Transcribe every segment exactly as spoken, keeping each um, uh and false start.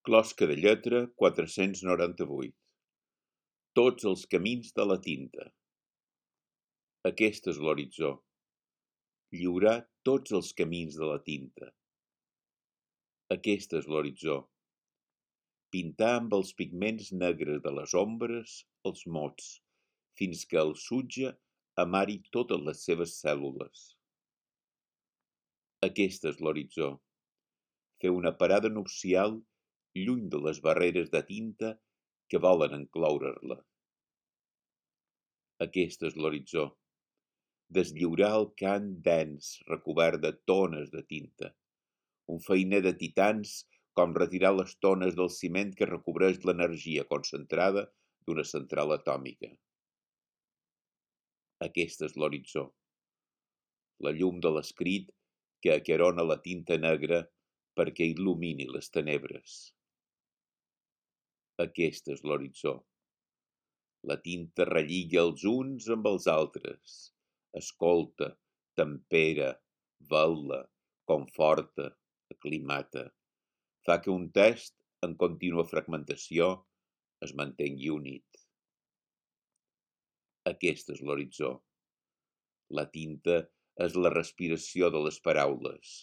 Closca de lletra quatre-cents noranta-vuit. Tots els camins de la tinta. Aquest és l'horitzó. Lliurar tots els camins de la tinta. Aquest és l'horitzó. Pintar amb els pigments negres de les ombres els mots, fins que el sutge amari totes les seves cèl·lules. Aquest és l'horitzó. Fer una parada nupcial lluny de les barreres de tinta que volen enclourer-la. Aquest és l'horitzó. Deslliurar el cant dens recobert de tones de tinta. Un feiner de titans com retirar les tones del ciment que recobreix l'energia concentrada d'una central atòmica. Aquest és l'horitzó. La llum de l'escrit que aquerona la tinta negra perquè il·lumini les tenebres. Aquest és l'horitzó. La tinta relliga els uns amb els altres, escolta, tempera, vel·la, conforta, aclimata. Fa que un text, en contínua fragmentació, es mantengui unit. Aquest és l'horitzó. La tinta és la respiració de les paraules,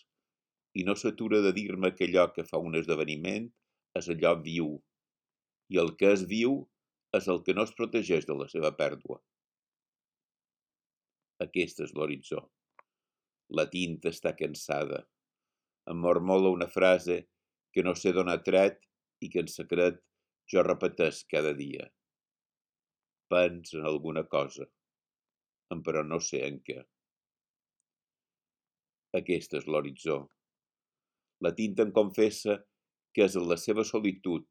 i no s'atura de dir-me que allò que fa un esdeveniment és allò viu, i el que és viu és el que no es protegeix de la seva pèrdua. Aquest és l'horitzó. La tinta està cansada. Em mormola una frase que no sé d'on ha tret i que en secret jo repeteix cada dia. Pens en alguna cosa, però no sé en què. Aquest és l'horitzó. La tinta em confessa que és en la seva solitud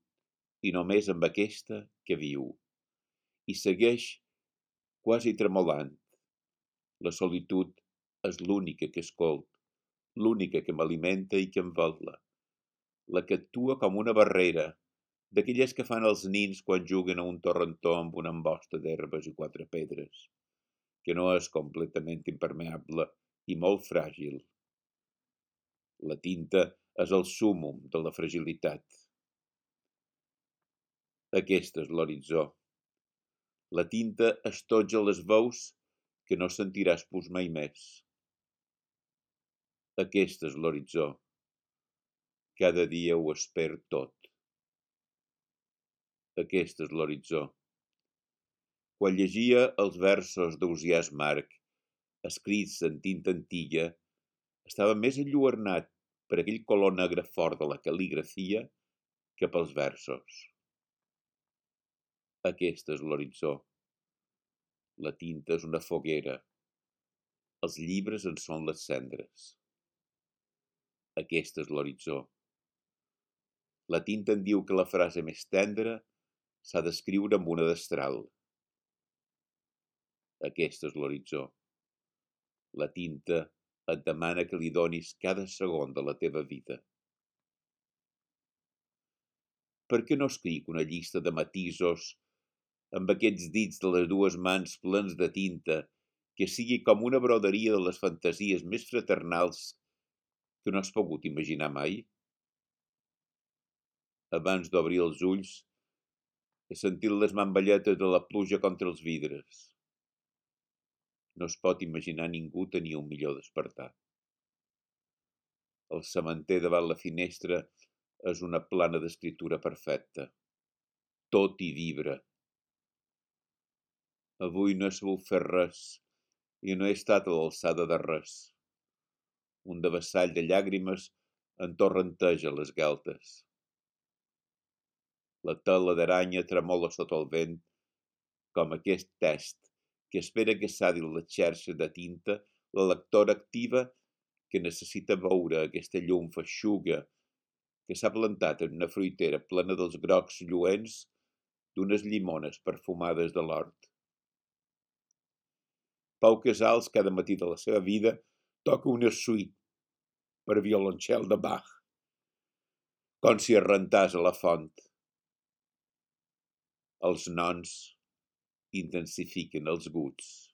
i només amb aquesta que viu. I segueix quasi tremolant. La solitud és l'única que escolt, l'única que m'alimenta i que em vetla, la que actua com una barrera, d'aquelles que fan els nins quan juguen a un torrentó amb una embosta d'herbes i quatre pedres, que no és completament impermeable i molt fràgil. La tinta és el súmmum de la fragilitat. Aquest és l'horitzó. La tinta estotja les veus que no sentiràs pus mai més. Aquest és l'horitzó. Cada dia ho espero tot. Aquest és l'horitzó. Quan llegia els versos d'Ausiàs Marc, escrits en tinta antiga, estava més enlluernat per aquell color negre fort de la cal·ligrafia que pels versos. Aquest és l'horitzó. La tinta és una foguera. Els llibres en són les cendres. Aquest és l'horitzó. La tinta em diu que la frase més tendra s'ha d'escriure amb una destral. Aquest és l'horitzó. La tinta et demana que li donis cada segon de la teva vida. Per què no escric una llista de matisos amb aquests dits de les dues mans plens de tinta que sigui com una broderia de les fantasies més fraternals que no has pogut imaginar mai? Abans d'obrir els ulls, he sentit les mamballetes de la pluja contra els vidres. No es pot imaginar ningú tenir un millor despertar. El sementer davant la finestra és una plana d'escriptura perfecta. Tot hi vibra. Avui no he sabut fer res i no he estat a l'alçada de res. Un devessall de llàgrimes entorrenteja les galtes. La tela d'aranya tremola sota el vent com aquest test que espera que s'adin les xarxes de tinta la lectora activa que necessita veure aquesta llum feixuga que s'ha plantat en una fruitera plena dels grocs lluents d'unes llimones perfumades de l'hort. Pau Casals cada matí de la seva vida toca una suite per violoncel de Bach, com si es rentàs a la font. Els nons intensifiquen els guts.